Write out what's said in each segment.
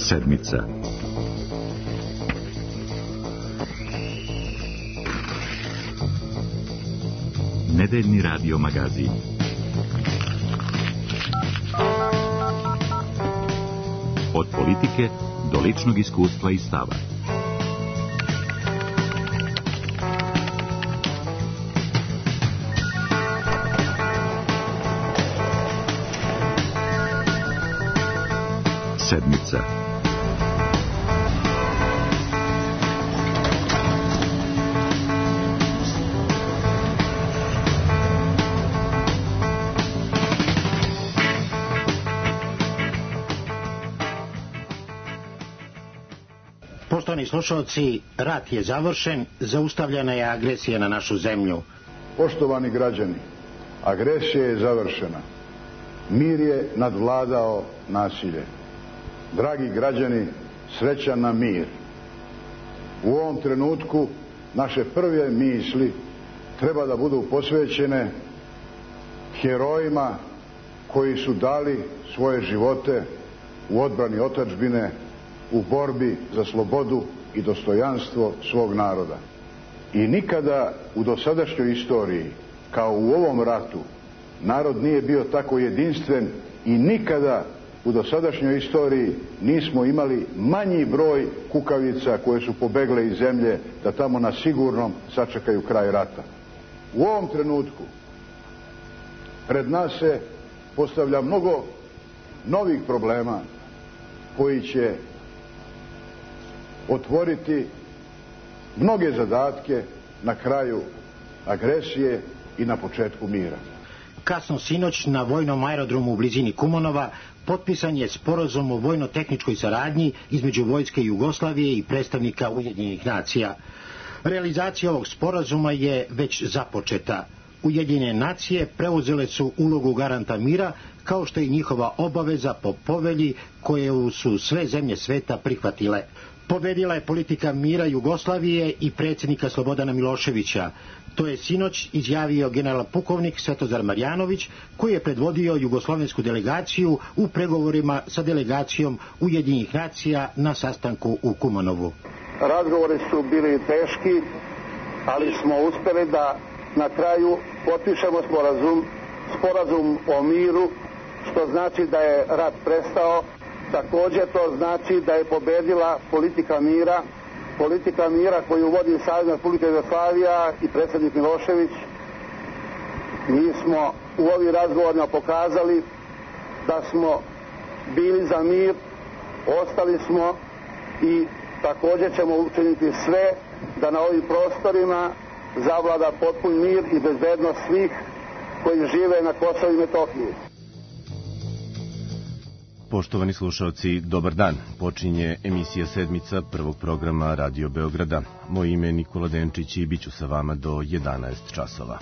Sedmica. Nedeljni radio magazin. Od politike do ličnog iskustva i stava. Sedmica. Poštovani slušalci, rat je završen, zaustavljena je agresija na našu zemlju. Poštovani građani, agresija je završena. Mir je nadvladao nasilje. Dragi građani, srećan nam mir. U ovom trenutku naše prve misli treba da budu posvećene herojima koji su dali svoje živote u odbrani otadžbine, u borbi za slobodu i dostojanstvo svog naroda. I nikada u dosadašnjoj istoriji, kao u ovom ratu, narod nije bio tako jedinstven i nikada u dosadašnjoj istoriji nismo imali manji broj kukavica koje su pobegle iz zemlje da tamo na sigurnom sačekaju kraj rata. U ovom trenutku pred nas se postavlja mnogo novih problema koji će otvoriti mnoge zadatke na kraju agresije i na početku mira. Kasno sinoć na vojnom aerodromu u blizini Kumanova potpisan je sporazum o vojno-tehničkoj saradnji između vojske Jugoslavije i predstavnika Ujedinjenih nacija. Realizacija ovog sporazuma je već započeta. Ujedinjene nacije preuzele su ulogu garanta mira, kao što je njihova obaveza po povelji koju su sve zemlje sveta prihvatile. Pobedila je politika mira Jugoslavije i predsjednika Slobodana Miloševića. To je sinoć izjavio general pukovnik Svetozar Marjanović, koji je predvodio jugoslovensku delegaciju u pregovorima sa delegacijom Ujedinjenih nacija na sastanku u Kumanovu. Razgovori su bili teški, ali smo uspjeli da na kraju potpišemo sporazum o miru, što znači da je rat prestao. Također to znači da je pobedila politika mira koju vodi Savezna Republika Jugoslavija i predsjednik Milošević. Mi smo u ovim razgovorima pokazali da smo bili za mir, ostali smo i također ćemo učiniti sve da na ovim prostorima zavlada potpun mir i bezbednost svih koji žive na Kosovu i Metohiji. Poštovani slušalci, dobar dan. Počinje emisija Sedmica prvog programa Radio Beograda. Moje ime je Nikola Denčić i bit ću sa vama do 11 časova.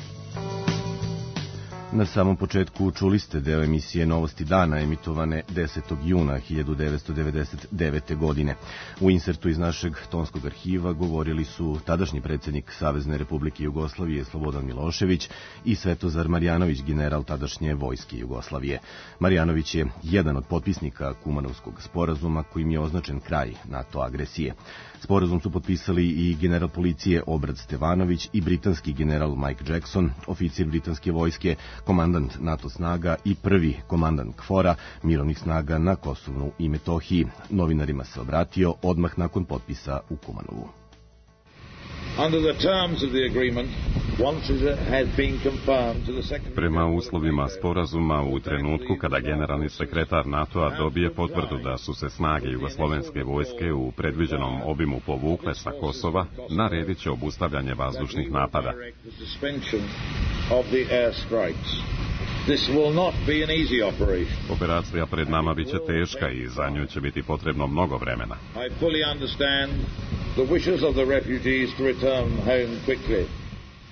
Na samom početku čuli ste deo emisije Novosti dana, emitovane 10. juna 1999. godine. U insertu iz našeg tonskog arhiva govorili su tadašnji predsjednik Savezne Republike Jugoslavije Slobodan Milošević i Svetozar Marjanović, general tadašnje vojske Jugoslavije. Marjanović je jedan od potpisnika Kumanovskog sporazuma kojim je označen kraj NATO agresije. Sporazum su potpisali i general policije Obrad Stevanović i britanski general Mike Jackson, oficir britanske vojske, komandant NATO snaga i prvi komandant KFOR-a mirovnih snaga na Kosovu i Metohiji. Novinarima se obratio odmah nakon potpisa u Kumanovu. Prema uslovima sporazuma, u trenutku kada generalni sekretar NATO-a dobije potvrdu da su se snage jugoslovenske vojske u predviđenom obimu povukle sa Kosova, naredit će obustavljanje vazdušnih napada. Operacija pred nama biće teška i za nju će biti potrebno mnogo vremena.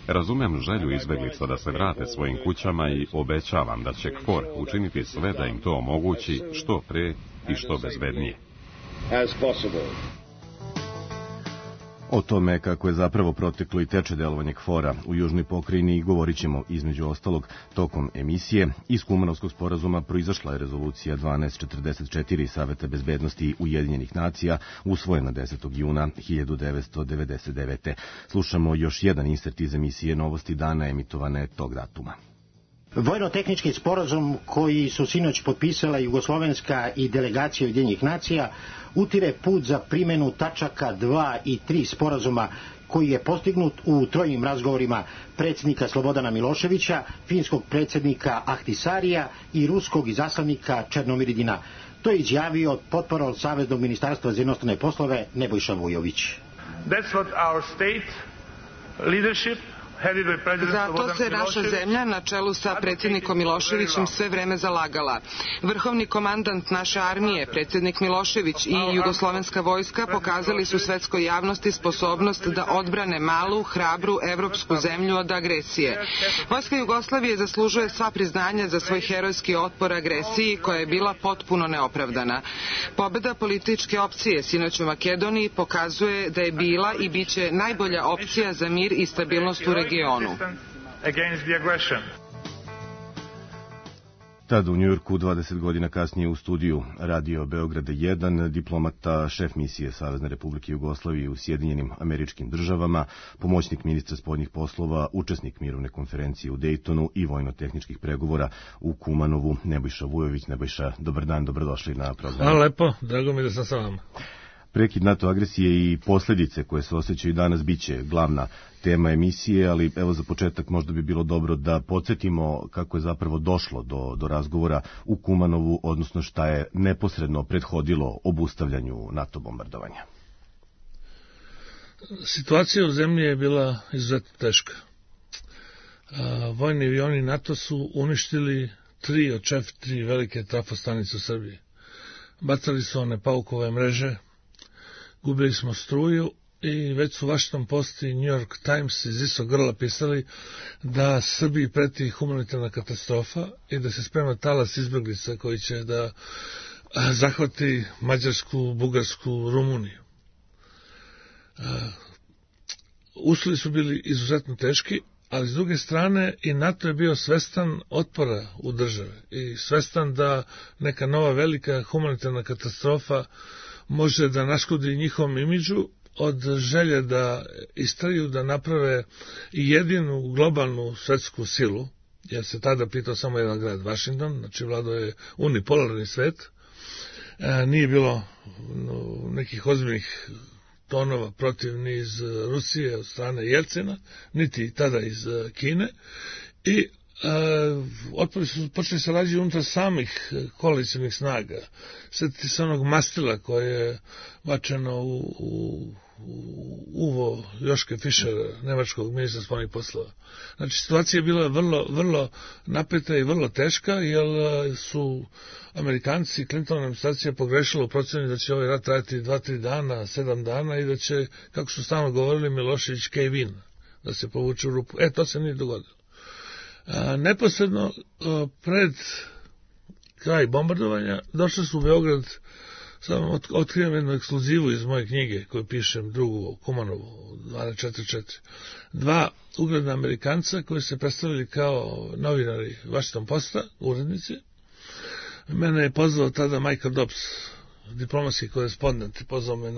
Razumem želju izbeglica da se vrate svojim kućama i obećavam da će KFOR učiniti sve da im to omogući što pre i što bezbednije. O tome kako je zapravo proteklo i teče delovanje KFOR-a u južnoj pokrajini govorit ćemo između ostalog tokom emisije. Iz Kumanovskog sporazuma proizašla je rezolucija 1244 Saveta bezbednosti Ujedinjenih nacija, usvojena 10. juna 1999. Slušamo još jedan insert iz emisije Novosti dana emitovane tog datuma. Vojno-tehnički sporazum koji su sinoć potpisala Jugoslovenska i delegacija Ujedinjenih nacija utire put za primjenu tačaka 2 i 3 sporazuma koji je postignut u trojnim razgovorima predsjednika Slobodana Miloševića, finskog predsjednika Ahtisarija i ruskog izaslanika Černomiridina. To je izjavio potporol Saveznog ministarstva za inostrane poslove Nebojša Vujović. That's what our state leadership. Zato se naša zemlja na čelu sa predsjednikom Miloševićem sve vreme zalagala. Vrhovni komandant naše armije, predsjednik Milošević i jugoslovenska vojska pokazali su svetskoj javnosti sposobnost da odbrane malu, hrabru, evropsku zemlju od agresije. Vojska Jugoslavije zaslužuje sva priznanja za svoj herojski otpor agresiji koja je bila potpuno neopravdana. Pobeda političke opcije sinoć u Makedoniji pokazuje da je bila i biće najbolja opcija za mir i stabilnost u regionu. Tada u Njujorku, 20 godina kasnije u studiju Radio Beograda 1, diplomata, šef misije Savezne Republike Jugoslavije u Sjedinjenim Američkim Državama, pomoćnik ministra spoljnih poslova, učesnik mirovne konferencije u Dejtonu i vojno-tehničkih pregovora u Kumanovu, Nebojša Vujović. Nebojša, dobar dan, dobrodošli na program. Hvala lepo, drago mi da sam sa vama. Prekid NATO agresije i posljedice koje se osjećaju danas biće glavna tema emisije, ali evo za početak možda bi bilo dobro da podsjetimo kako je zapravo došlo do razgovora u Kumanovu, odnosno šta je neposredno prethodilo obustavljanju NATO bombardovanja. Situacija u zemlji je bila izuzetno teška. Vojni avioni NATO su uništili 3 od 4 velike trafostanice u Srbiji. Bacali su one paukove mreže, gubili smo struju i već su Washington Post i New York Times iz istog grla pisali da Srbiji preti humanitarna katastrofa i da se sprema talas izbjeglica koji će da zahvati Mađarsku, Bugarsku, Rumuniju. Uslovi su bili izuzetno teški, ali s druge strane i NATO je bio svestan otpora u državi i svestan da neka nova velika humanitarna katastrofa može da naškodi njihovom imidžu od želje da istraju, da naprave jedinu globalnu svetsku silu, jer se tada pitao samo jedan grad, Washington, znači vladao je unipolarni svet, nije bilo nekih ozbiljnih tonova protiv ni iz Rusije od strane Jelcina, niti tada iz Kine, i otpori su počeli se rađati unutar samih koalicijnih snaga. Sjetite se onog mastila koje je bačeno u uvo Joške Fischera, nemačkog ministra spoljnih poslova. Znači, situacija je bila vrlo napeta i vrlo teška, jer su Amerikanci i Clintonova administracija pogrešila u procjeni da će ovaj rat trajati 2-3 dana, 7 dana i da će, kako su stalno govorili, Milošević cave in, da se povuče u rupu. To se nije dogodilo. Neposredno pred kraj bombardovanja došli su u Beograd, samo otkrivam jednu ekskluzivu iz moje knjige koju pišem, drugu Kumanovu 1244, 2 ugledna Amerikanca koji se predstavili kao novinari Washington Posta, urednici. Mene je pozvao tada Michael Dobbs, diplomatski korespondent, pozvao me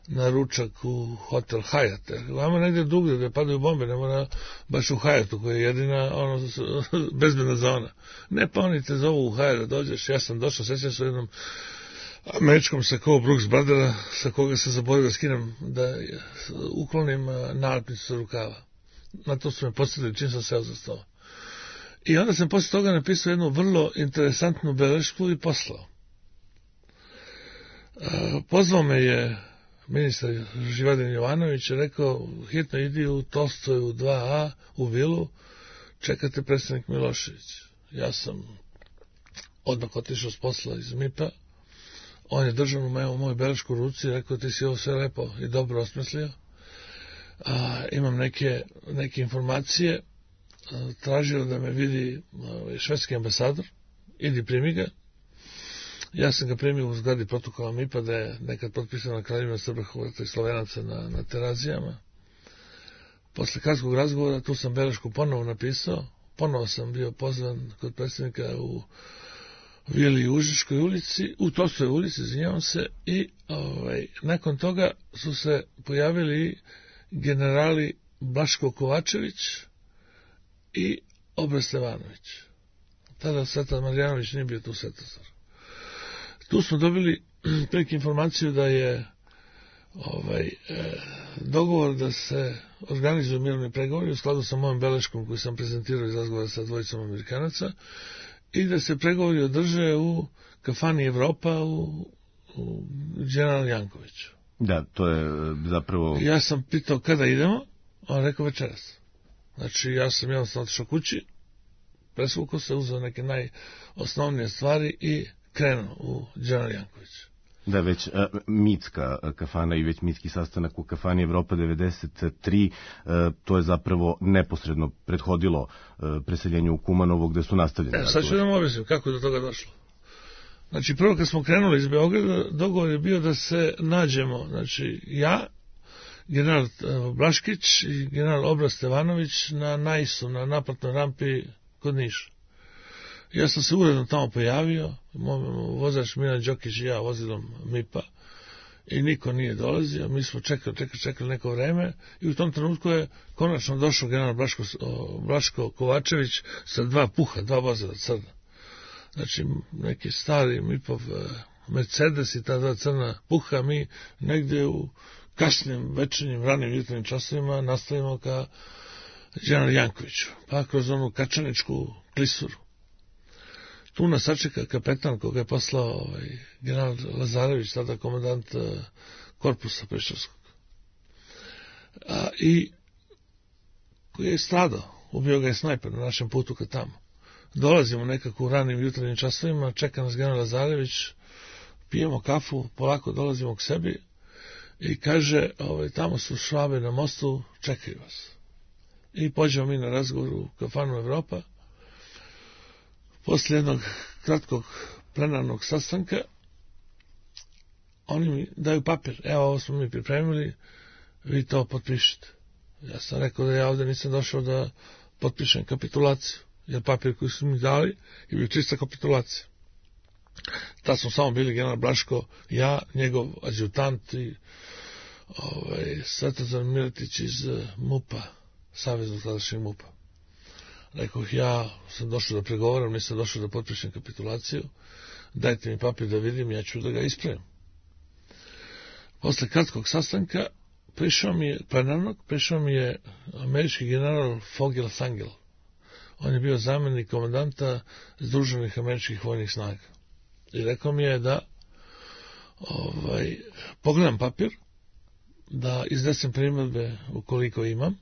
na ručak u hotel Hyatt. Vama negdje drugdje gdje padaju bombe, ne mora baš u Hyattu koja je jedina bezbedna zona. Ne, pa oni te zovu u Hyatt da dođeš. Ja sam došao, sjećam se u jednom američkom sakovu Brooks Brothera, sa koga se zaboravio da skinem, da uklonim nalepnicu sa rukava. Na to su me posjetili čim sam seo za sto. I onda sam poslije toga napisao jednu vrlo interesantnu belešku i poslao. Pozvao me je ministar Živadin Jovanović, je rekao, hitno idi u Tolstoju 2A u vilu, čekate predsjednik Milošević. Ja sam odmah otišao s posla iz MIP-a, on je držao moju belešku u ruci i rekao, ti si ovo sve lepo i dobro osmislio, imam neke informacije, tražio da me vidi švedski ambasador, idi primi ga, Ja sam ga primio u zgradi protokola MIP-a da je nekad potpisano na Kraljevima Srba, Hrvata i Slovenaca na Terazijama. Posle kratkog razgovora tu sam belešku ponovo napisao, ponovo sam bio pozvan kod predsjednika u Vili Užičkoj ulici, u Tolstojoj ulici, izvinjavam se, i nakon toga su se pojavili generali Blaško Kovačević i Obra Stevanović. Tada Svetlana Marjanović nije bio tu Svetozar. Tu smo dobili prilike informaciju da je dogovor da se organizuju mirovni pregovori u skladu sa mojom beleškom koju sam prezentirao iz razgovora sa dvojicom Amerikanaca i da se pregovori održe u kafani Evropa u General Jankoviću. Da, to je zapravo... Ja sam pitao kada idemo, on rekao večeras. Znači, ja sam jednostavno otišao kući, presvukao se, uzeo neke najosnovnije stvari i krenuo u General Janković. Da, već mitska kafana i već mitski sastanak u kafani Evropa 93, to je zapravo neposredno prethodilo preseljenju u Kumanovo gde su nastavljeni. Sad ću da vam objasnim kako je do toga došlo. Znači, prvo kad smo krenuli iz Beograda, dogovor je bio da se nađemo, znači ja, general Blaškić i general Obra Stevanović na Najsu, na naplatnoj rampi kod Niša. Ja sam se uredno tamo pojavio, vozač Milan Đokić i ja vozilom MIP-a i niko nije dolazio, mi smo čekali neko vreme i u tom trenutku je konačno došao general Blaško Kovačević sa dva vozila crna. Znači, neki stari MIP-ov Mercedes i ta dva crna puha, mi negdje u kasnim večernjim, ranim jutarnjim časovima nastavimo ka General Jankoviću, pa kroz onu kačaničku klisuru. Tu nas sačeka kapetan koga je poslao general Lazarević, tada komandant korpusa Preševskog. I koji je stradao, ubio ga je snajper na našem putu ka tamo. Dolazimo nekako u ranim jutarnjim časovima, čeka nas general Lazarević, pijemo kafu, polako dolazimo k sebi i kaže, tamo su Švabe na mostu, čekaju vas. I pođemo mi na razgovor u kafanu Evropa. Poslije jednog kratkog plenarnog sastanka oni mi daju papir. Evo, ovo smo mi pripremili, vi to potpišite. Ja sam rekao da ja ovdje nisam došao da potpišem kapitulaciju, jer papir koji su mi dali je bio čista kapitulacija. Tad smo samo bili general Blaško, ja, njegov adjutant i Svetozar Miletić iz MUP-a, Saveznog tadašnjeg MUP-a. Rekao, ja sam došao da pregovaram, nisam došao da potpišem kapitulaciju, dajte mi papir da vidim, ja ću da ga ispravim. Posle kratkog sastanka prišao mi je američki general Fogel-Thangel. On je bio zamjenik komandanta Združenih američkih vojnih snaga. I rekao mi je da pogledam papir, da iznesem primjedbe ukoliko imam,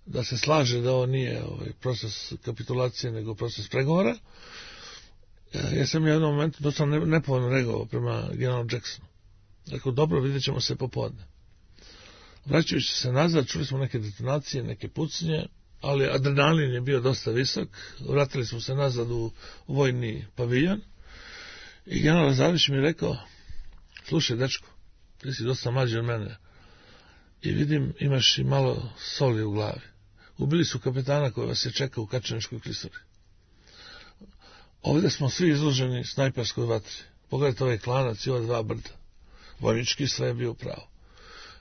da se slaže da ovo nije proces kapitulacije, nego proces pregovora. Ja sam u jednom momentu dosta nepovoljno reagovao prema generalu Jacksonu. Rekao, dobro, vidjet ćemo se popodne. Vraćajući se nazad, čuli smo neke detonacije, neke pucnje, ali adrenalin je bio dosta visok. Vratili smo se nazad u vojni paviljon i general Lazarević mi je rekao, slušaj, dečko, ti si dosta mlađi od mene i vidim imaš i malo soli u glavi. Ubili su kapetana koji vas je čekao u Kačaničkoj klisuri. Ovdje smo svi izloženi snajperskoj vatri. Pogledajte ovaj klanac i ova dva brda. Vojnički sve je bio pravo.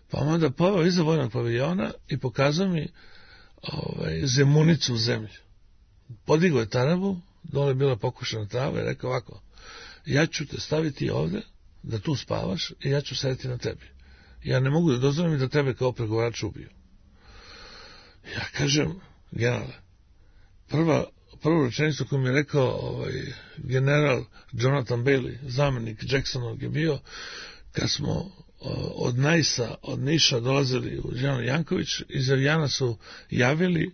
Pa onda poveo iza vojnog paviljona i pokazao mi zemunicu u zemlji. Podigao je tarabu, dole je bila pokušana trava i rekao ovako, ja ću te staviti ovdje da tu spavaš i ja ću sedeti na tebi. Ja ne mogu da dozvolim da tebe kao pregovarač ubiju. Ja kažem, generale, prvu rečenicu koju mi je rekao general Jonathan Bailey, zamjenik Jacksonovog je bio, kad smo od Najsa, od Niša dolazili u General Janković, iz aviona su javili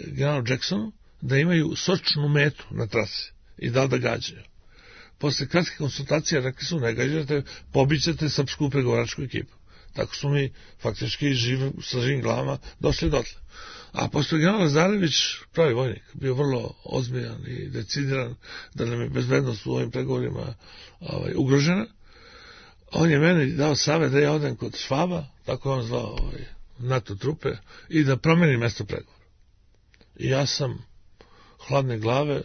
generalu Jacksonu da imaju sočnu metu na trasi i da gađaju. Posle kratke konsultacije rekli su, ne gađate, pobićete srpsku pregovaračku ekipu. Tako su mi faktički sa živim glavama došli dotle. A pošto je general Lazarević, pravi vojnik, bio vrlo ozbiljan i decidiran da nam je bezbednost u ovim pregovorima ugrožena, on je meni dao savjet da ja odem kod Švaba, tako je on zvao NATO trupe, i da promenim mesto pregovora. I ja sam hladne glave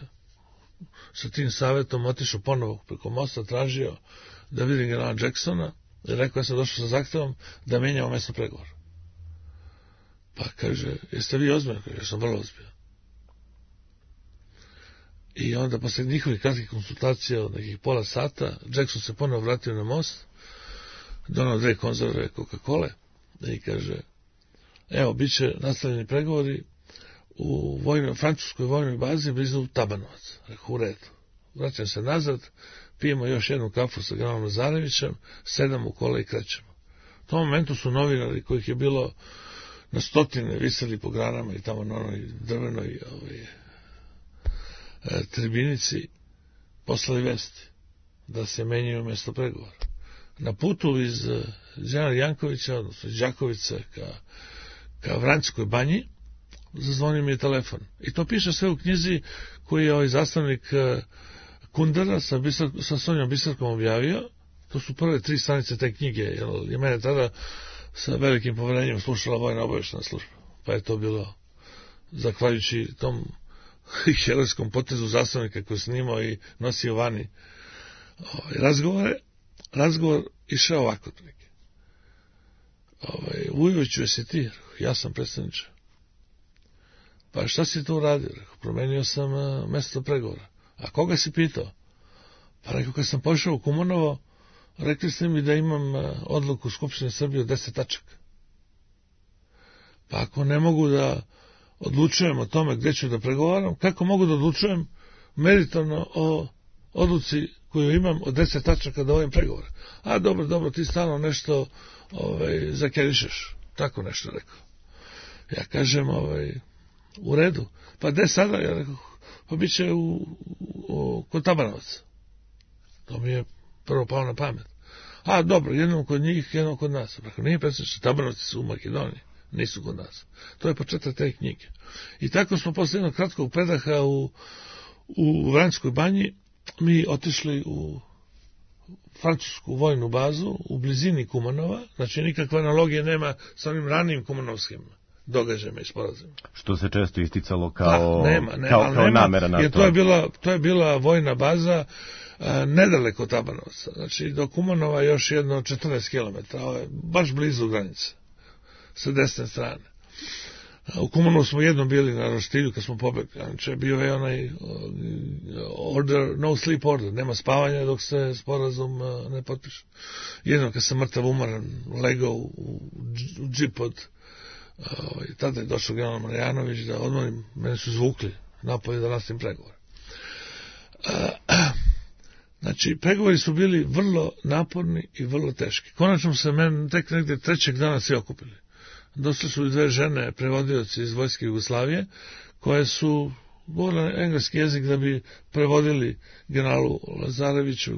sa tim savjetom otišao ponovo preko mosta, tražio da vidim generala Jacksona i rekao, ja sam došao sa zahtevom da menjamo mesto pregovora. Pa kaže, jeste vi ozbiljni? Ja sam vrlo ozbiljan. I onda posle njihovih kratkih konsultacija od nekih pola sata, Jackson se ponovo vratio na most, donao 2 konzerve Coca-Cola i kaže, evo, bit će nastavljeni pregovori u francuskoj vojnoj bazi blizu Tabanovac. Rekao, u redu. Vraćam se nazad, pijemo još jednu kafu sa generalom Lazarevićem, sedamo u kola i krećemo. U tom momentu su novinari, kojih je bilo na stotine, viseli po granama i tamo na onoj drvenoj tribinici, poslali vesti da se menjaju mesto pregovora. Na putu iz Đana Jankovića, odnosno iz Đakovice ka Vranjskoj banji, zazvonio mi je telefon. I to piše sve u knjizi koji je zastavnik Kundera sa Sonjom Bisarkom objavio. To su prve 3 stranice te knjige, jer je mene tada sa velikim poverenjem slušala vojna obavještajna služba. Pa je to bilo, zahvaljujući tom herojskom potezu zastavnika koji je snimao i nosio vani razgovor išao ovako. Vujoviću, jesi ti? Ja sam predstavniče. Pa šta si tu uradio? Rekao, promenio sam mesto pregovora. A koga si pitao? Pa rekao, kad sam pošao u Kumonovo, rekli ste mi da imam odluku Skupštine Srbije od 10 tačaka. Pa ako ne mogu da odlučujem o tome gde ću da pregovaram, kako mogu da odlučujem meritorno o odluci koju imam od 10 tačaka da ovim pregovora? A dobro, ti stalno nešto zakerišeš. Tako nešto rekao. Ja kažem, u redu. Pa gde sada? Ja rekao, pa bit će kod Tabanovaca. To mi je prvo palo na pamet. A dobro, jednom kod njih, jednom kod nas. Rekao, nije predstavljač, Tabanovci su u Makedoniji, nisu kod nas. To je početak te knjige. I tako smo posle jednog kratkog predaha u Vranjskoj banji mi otišli u francusku vojnu bazu u blizini Kumanova, znači nikakve analogije nema sa onim ranijim kumanovskim događajima i sporazima. Što se često isticalo kao namera NATO. Jer to je bila vojna baza nedaleko od Tabanovca, znači do Kumanova još jedno 14 km, baš blizu granice, sa desne strane. U Kumanovu smo jednom bili na roštilju kad smo pobegli, znači bio je onaj order, no sleep order, nema spavanja dok se sporazum ne potpiše. Jednom kad sam mrtav umoran legao u džip od tada je došao general Marjanović da odmorim, mene su zvukli napolje da nastavim pregovore. Znači, pregovori su bili vrlo naporni i vrlo teški. Konačno se meni tek negde 3. dana svi okupili. Došli su i 2 žene, prevodioci iz Vojske Jugoslavije, koje su govorile engleski jezik da bi prevodili generalu Lazareviću,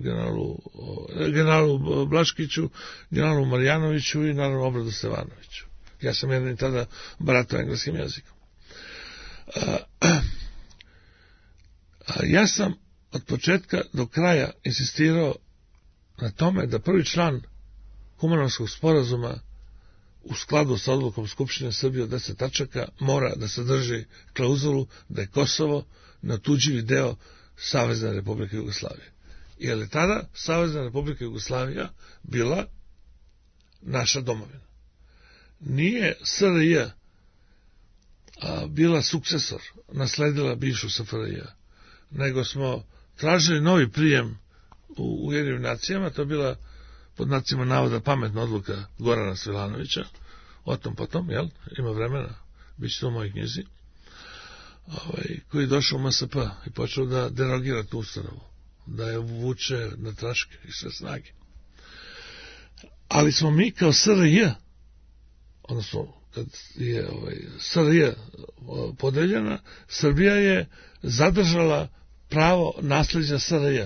generalu Blaškiću, generalu Marjanoviću i naravno Obradu Stevanoviću. Ja sam jedini tada baratao engleskim jezikom. Ja sam od početka do kraja insistirao na tome da prvi član Kumanovskog sporazuma u skladu sa odlukom Skupštine Srbije od 10 tačaka mora da sadrži klauzulu da je Kosovo neotuđivi deo Savezne Republike Jugoslavije. Jer je tada Savezna Republika Jugoslavija bila naša domovina. Nije SRJ bila sukcesor, nasledila bivšu SFRJ, nego smo tražili novi prijem u Ujedinjenim nacijama, to je bila pod znacima navoda pametna odluka Gorana Svilanovića, o tom potom, jel, ima vremena, bit će to u mojoj knjizi, koji je došao u MSP i počeo da derogira tu ustanovu, da je vuče na traške i sve snage. Ali smo mi kao SRJ, odnosno kad je SRJ podeljena, Srbija je zadržala pravo nasljeđa SRJ.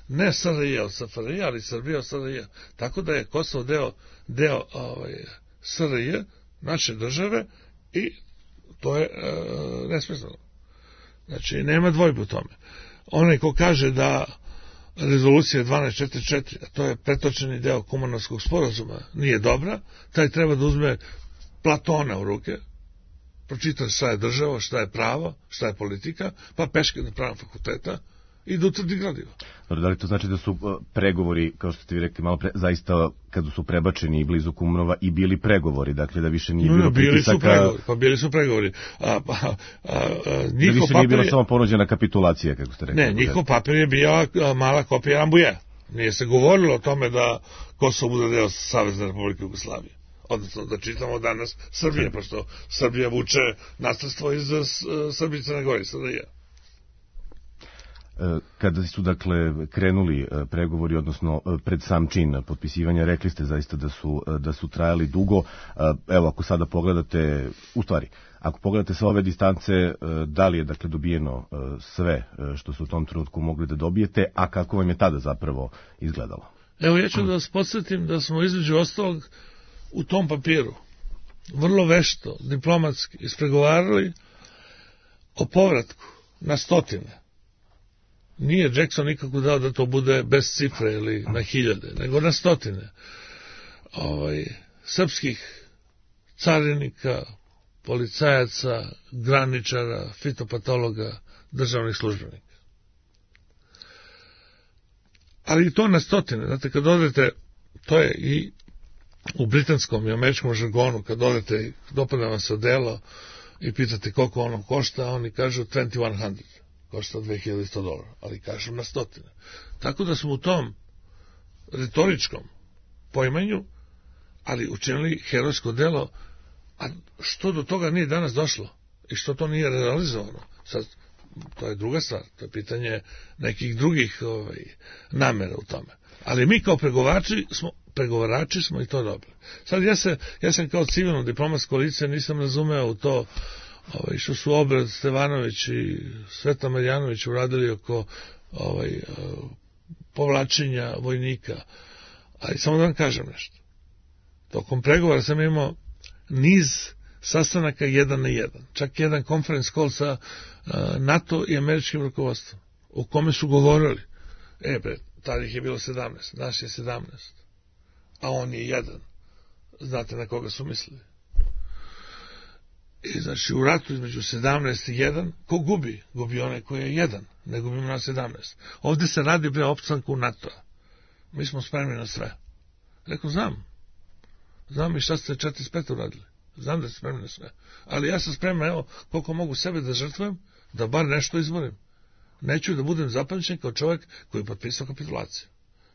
Ne SRJ od SFRJ, ali Srbija od SRJ. Tako da je Kosovo deo SRJ, naše države, i To je nesmisleno. Znači, nema dvojbe u tome. Onaj ko kaže da rezolucija 1244, a to je pretočeni deo Kumanovskog sporazuma, nije dobra, taj treba da uzme Platona u ruke, pročita šta je država, šta je pravo, šta je politika, pa peške na pravnom fakulteta i da utvrdi gradivo. Da li to znači da su pregovori, kao što ste vi rekli malo pre, zaista kada su prebačeni blizu Kumanova i bili pregovori, dakle da više nije bilo pritisaka... Bili su pregovori. Da više nije bila samo ponuđena kapitulacija, kako ste rekli. Ne, njihov papir je bio mala kopija Rambuje. Nije se govorilo o tome da Kosovo bude deo Savezne Republike Jugoslavije. Odnosno da čitamo danas Srbije, pošto Srbija vuče nasledstvo iz Srbije i Crne Gore, SDJ. Kada su dakle krenuli pregovori, odnosno pred sam čin potpisivanja, rekli ste zaista da su trajali dugo. Evo, ako sada pogledate, u stvari, ako pogledate sa ove distance, da li je dakle dobijeno sve što su u tom trenutku mogli da dobijete, a kako vam je tada zapravo izgledalo? Evo, ja ću da vas podsjetim da smo između ostalog u tom papiru vrlo vešto, diplomatski ispregovarali o povratku na stotine. Nije Jackson nikako dao da to bude bez cifre ili na hiljade, nego na stotine srpskih carinika, policajaca, graničara, fitopatologa, državnih službenika. Ali i to na stotine. Znate, kad odete, to je i u britanskom i američkom žargonu, kad odete, dopada vam se delo i pitate koliko ono košta, oni kažu 2100. Košta $2100, ali kažu na stotine. Tako da smo u tom retoričkom poimanju, ali učinili herojsko delo, a što do toga nije danas došlo i što to nije realizovano, sad, to je druga stvar, to je pitanje nekih drugih namera u tome. Ali mi kao pregovarači smo i to dobili. Sad ja sam kao civilno diplomatsko lice nisam razumeo u to što su Obrad Stevanović i Sveta Marjanović uradili oko povlačenja vojnika. Ali samo da vam kažem nešto. Tokom pregovora sam imao niz sastanaka 1 na 1. Čak jedan conference call sa NATO i američkim rukovodstvom, u kome su govorili, tada ih je bilo 17, naš je 17, a on je 1. Znate na koga su mislili? I znači u ratu između 17 i 1, ko gubi? Gubi onaj koji je 1, ne gubimo na 17. Ovde se radi o opstanku NATO-a. Mi smo spremni na sve. Rekao, znam i šta ste 45 uradili. Znam da ste spremni na sve. Ali ja sam spreman, evo, koliko mogu sebe da žrtvujem, da bar nešto izborim. Neću da budem zapamćen kao čovjek koji je potpisao kapitulaciju.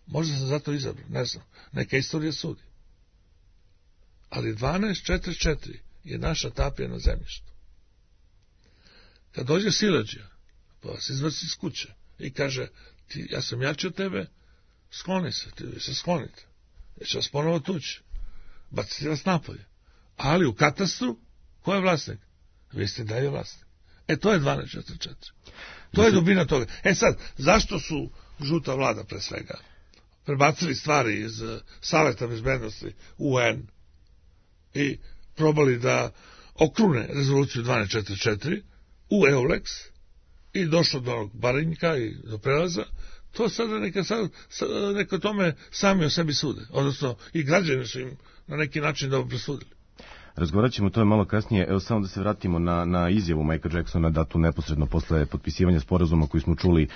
Možda sam zato izabran, ne znam. Neka istorija sudi. Ali 1244 je naša tapija na zemljištu. Kad dođe siledžija, pa vas izvrsi iz kuće i kaže, ja sam jači od tebe, skloni se, ti se sklonite. Ja ću vas ponovo tući. Baciti vas napolje. Ali u katastru, ko je vlasnik? Vi ste dalje vlasnik. To je 1244. To je dubina toga. Sad, zašto su žuta vlada pre svega prebacili stvari iz Saveta bezbednosti UN i probali da okrune rezoluciju 1244 u EULEX i došlo do Barinjka i do prelaza, to sada neka tome sami o sebi sude. Odnosno, i građani su im na neki način dobro presudili. Razgovarat ćemo to malo kasnije. Evo samo da se vratimo na izjavu Michaela Jacksona datu neposredno posle potpisivanja sporazuma koji smo čuli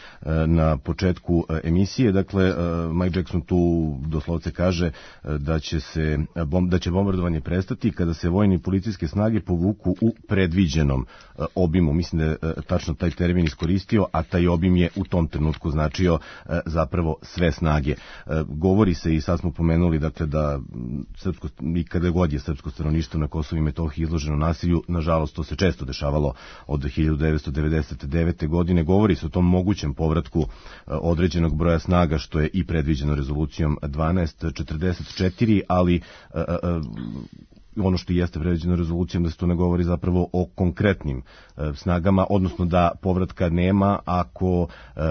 na početku emisije. Dakle, Mike Jackson tu doslovce kaže da će bombardovanje prestati kada se vojne i policijske snage povuku u predviđenom obimu. Mislim da je tačno taj termin iskoristio, a taj obim je u tom trenutku značio zapravo sve snage. Govori se, i sad smo pomenuli, dakle, da kada god je srpsko stanovništvo na Kosovu i Metohiji izloženo nasilju, nažalost to se često dešavalo od 1999. godine, govori se o tom mogućem povratku određenog broja snaga, što je i predviđeno rezolucijom 1244, ali ono što jeste predviđeno rezolucijom da se to ne govori zapravo o konkretnim snagama, odnosno da povratka nema ako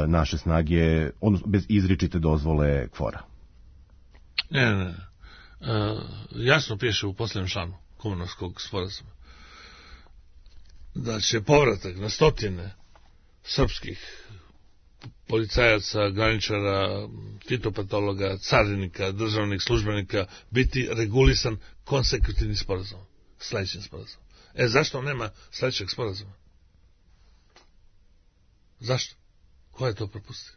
naše snage, odnosno bez izričite dozvole KFOR-a. Ne. Jasno piše u posljednjem članu Kumanovskog sporazuma. da će povratak na stotine srpskih policajaca, graničara, fitopatologa, carinika, državnih službenika biti regulisan konsekutivnim sporazumom, sledećim sporazumom. Zašto nema sledećeg sporazuma? Zašto? Ko je to propustio?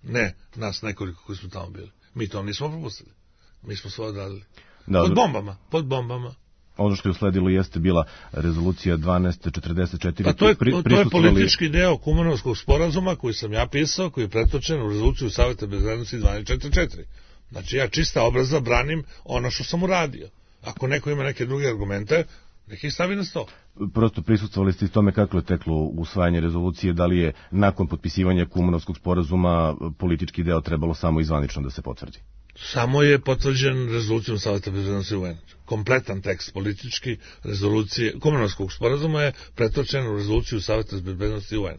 Ne, nas nekoliko koji smo tamo bili. Mi to nismo propustili. Mi smo svoje odradili. Pod bombama. Ono što je usledilo jeste bila rezolucija 1244. Pa to je politički deo Kumanovskog sporazuma koji sam ja pisao, koji je pretočen u rezoluciju Saveta bezbednosti 1244. Znači ja čista obraza branim ono što sam uradio. Ako neko ima neke druge argumente, nek ih stavi na sto. Prosto prisustvovali ste i tome kako je teklo usvajanje rezolucije, da li je nakon potpisivanja Kumanovskog sporazuma politički deo trebalo samo izvanično da se potvrdi? Samo je potvrđen rezolucijom Saveta bezbednosti UN. Kompletan tekst politički rezolucije Kumanovskog sporazuma je pretočen u rezoluciju Saveta bezbednosti UN.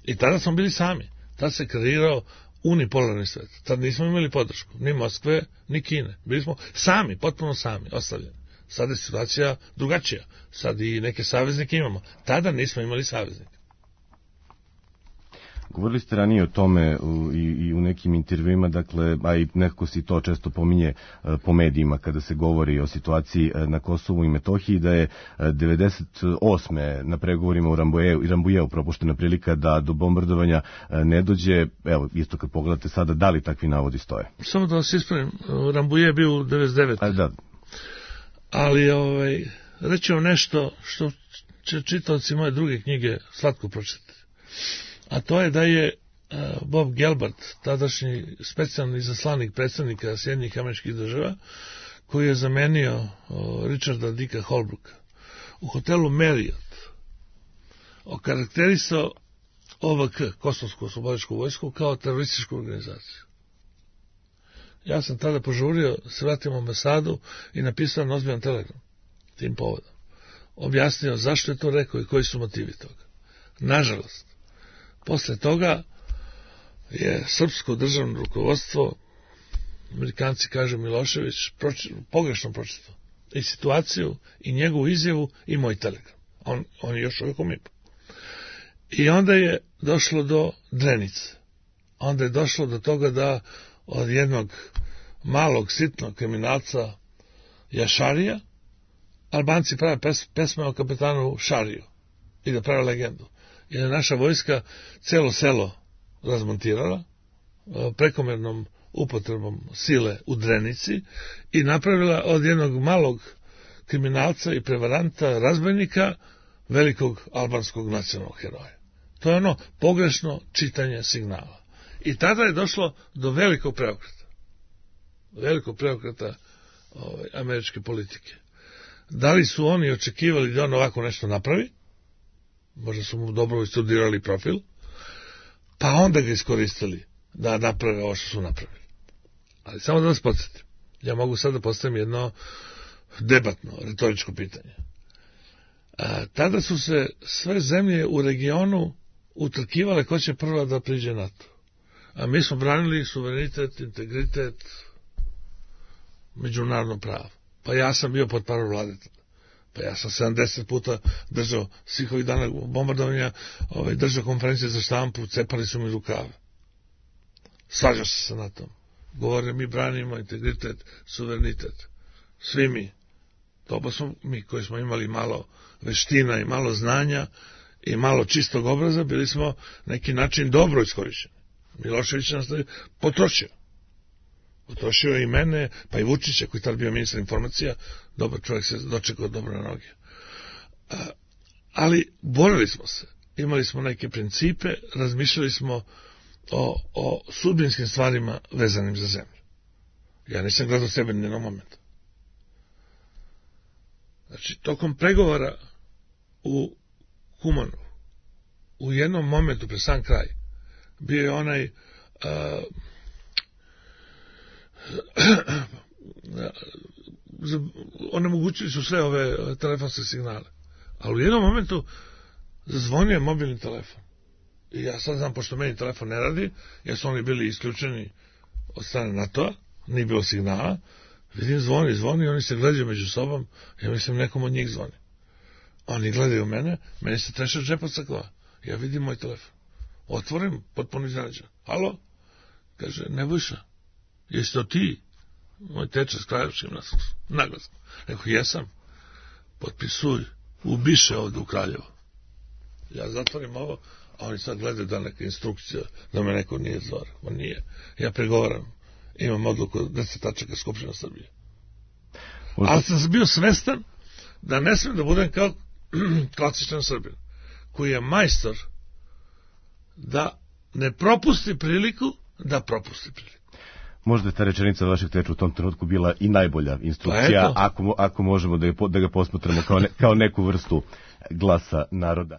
I tada smo bili sami. Tada se kreirao unipolarni svet. Tada nismo imali podršku ni Moskve, ni Kine. Bili smo sami, potpuno sami, ostavljeni. Sada je situacija drugačija. Sad i neke saveznike imamo. Tada nismo imali saveznika. Govorili ste ranije o tome i u nekim intervjuima, dakle, a i nekako se to često pominje po medijima kada se govori o situaciji na Kosovu i Metohiji, da je 98. na pregovorima u Rambujeu propuštena prilika da do bombardovanja ne dođe. Evo, isto kad pogledate sada, da li takvi navodi stoje? Samo da vas ispravim, Rambuje je bio u 99. Da. Ali reći vam nešto što će čitaoci moje druge knjige slatko pročitati. A to je da je Bob Gelbart, tadašnji specijalni izaslanik predstavnika Sjedinjenih Američkih Država, koji je zamenio Richarda Dicka Holbrooka, u hotelu Marriott okarakterisao OVK, Kosovsku oslobodilačku vojsku, kao terorističku organizaciju. Ja sam tada požurio, se vratim u ambasadu i napisao na ozbiljan telegram tim povodom. Objasnio zašto je to rekao i koji su motivi toga. Nažalost, posle toga je srpsko državno rukovodstvo, Amerikanci kažu Milošević, pogrešno pročitao i situaciju, i njegovu izjavu, i moj telegram. On je još uvijek u MIP-u. I onda je došlo do Drenice. Onda je došlo do toga da od jednog malog, sitnog kriminalca Jašarija Albanci prave pesme o kapetanu Šariju i da prave legendu. Jer je naša vojska celo selo razmontirala prekomernom upotrebom sile u Drenici i napravila od jednog malog kriminalca i prevaranta, razbojnika, velikog albanskog nacionalnog heroja. To je ono pogrešno čitanje signala. I tada je došlo do velikog preokreta američke politike. Da li su oni očekivali da on ovako nešto napravi? Možda su mu dobro istudirali profil, pa onda ga iskoristili da naprave ovo što su napravili. Ali samo da vas podsjetim, ja mogu sad da postavim jedno debatno, retoričko pitanje. Tada su se sve zemlje u regionu utrkivale ko će prva da priđe NATO. A mi smo branili suverenitet, integritet, međunarodno pravo. Pa ja sam bio pod parol vlade tada. Pa ja sam 70 puta držao svih ovih dana bombardovanja, držao konferencije za štampu, cepali su mi rukave. Svađao se sa NATO-om. Govorio, mi branimo integritet, suverenitet. Svi mi. To pa smo mi koji smo imali malo veština i malo znanja i malo čistog obraza, bili smo neki način dobro iskorišćeni. Milošević nas je potrošio. Potrošio je i mene, pa i Vučića, koji tad bio ministar informacija, dobar čovjek se dočekao dobro na noge. Ali borili smo se, imali smo neke principe, razmišljali smo o sudbinskim stvarima vezanim za zemlju. Ja nisam gledao sebe ni jednog momenta. Znači, tokom pregovora u Kumanovu, u jednom momentu pre sam kraj, bio je onaj onemogućili su sve ove telefonske signale. Ali u jednom momentu zazvonio je mobilni telefon. I ja sad znam, pošto meni telefon ne radi, jer su oni bili isključeni od strane NATO-a, nije bilo signala, vidim zvoni, oni se gledaju među sobom, ja mislim nekom od njih zvoni. Oni gledaju mene, meni se treše džep od sakoa. Ja vidim moj telefon. Otvorim, potpuno iznenađen. Halo? Kaže, Nebojša, jesi to ti? Moj teča s kraljevskim naglaskom. Rekao, jesam. Potpisuj, ubiše ovde u Kraljevo. Ja zatvorim ovo, a oni sad gledaju da neka instrukcija, da me neko nije zvar. On nije. Ja pregovaram. Imam odluku 10 tačaka Skupština Srbije. Ali sam bio svestan da ne smijem da budem kao klasičan Srbin, koji je majstor da ne propusti priliku, da propusti priliku. Možda je ta rečenica vašeg teča u tom trenutku bila i najbolja instrukcija, ako možemo da ga posmatramo kao neku vrstu glasa naroda.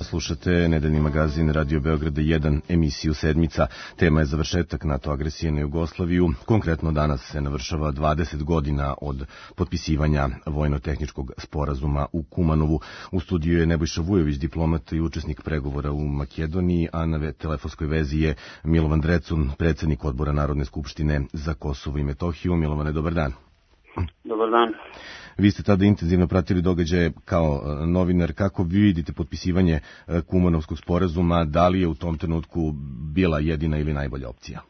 Slušate nedeljni magazin Radio Beograda 1, emisiju Sedmica. Tema je završetak NATO agresije na Jugoslaviju. Konkretno danas se navršava 20 godina od potpisivanja vojno-tehničkog sporazuma u Kumanovu. U studiju je Nebojša Vujović, diplomata i učesnik pregovora u Makedoniji, a na telefonskoj vezi je Milovan Drecun, predsjednik odbora Narodne skupštine za Kosovo i Metohiju. Milovane, dobar dan. Dobar dan. Vi ste tada intenzivno pratili događaje kao novinar. Kako vi vidite potpisivanje Kumanovskog sporazuma? Da li je u tom trenutku bila jedina ili najbolja opcija?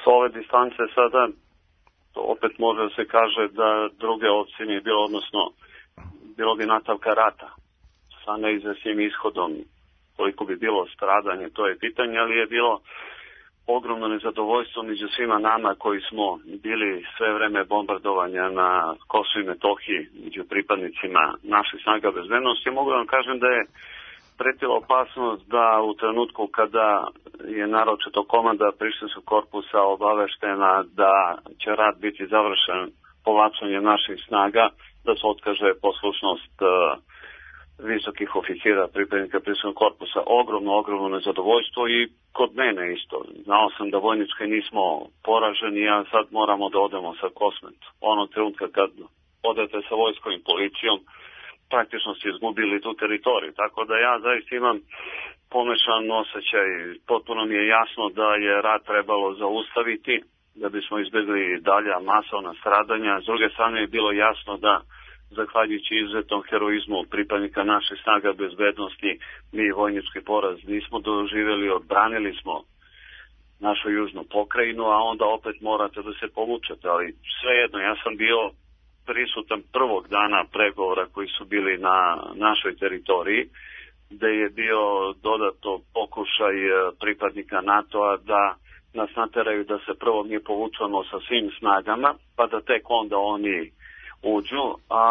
S ove distance sada opet može da se kaže da druge opcije nije bilo, odnosno bilo bi nastavka rata sa neizvesnim ishodom. Koliko bi bilo stradanje, to je pitanje, ali je bilo ogromno nezadovoljstvo među svima nama koji smo bili sve vreme bombardovanja na Kosovu i Metohiji među pripadnicima naših snaga bezbednosti. Mogu da vam kažem da je pretila opasnost da u trenutku kada je naročito komanda Prištinskog korpusa obaveštena da će rat biti završen povlačenjem naših snaga, da se otkaže poslušnost visokih oficira, pripadnika Prištinskog korpusa. Ogromno nezadovoljstvo i kod mene isto. Znao sam da vojnički nismo poraženi, a sad moramo da odemo sa Kosmet. Onog trenutka kad odete sa vojskom i policijom, praktično ste izgubili tu teritoriju. Tako da ja zaista imam pomešan osjećaj. Potpuno mi je jasno da je rat trebalo zaustaviti, da bismo izbjegli dalja masovna stradanja. S druge strane je bilo jasno da zahvaljujući izuzetnom heroizmu pripadnika naših snaga bezbednosti, mi vojnički poraz nismo doživjeli, odbranili smo našu južnu pokrajinu, a onda opet morate da se povučete. Ali svejedno, ja sam bio prisutan prvog dana pregovora koji su bili na našoj teritoriji, gde je bio dodatno pokušaj pripadnika NATO-a da nas nateraju da se prvo mi povučemo sa svim snagama, pa da tek onda oni uđu, a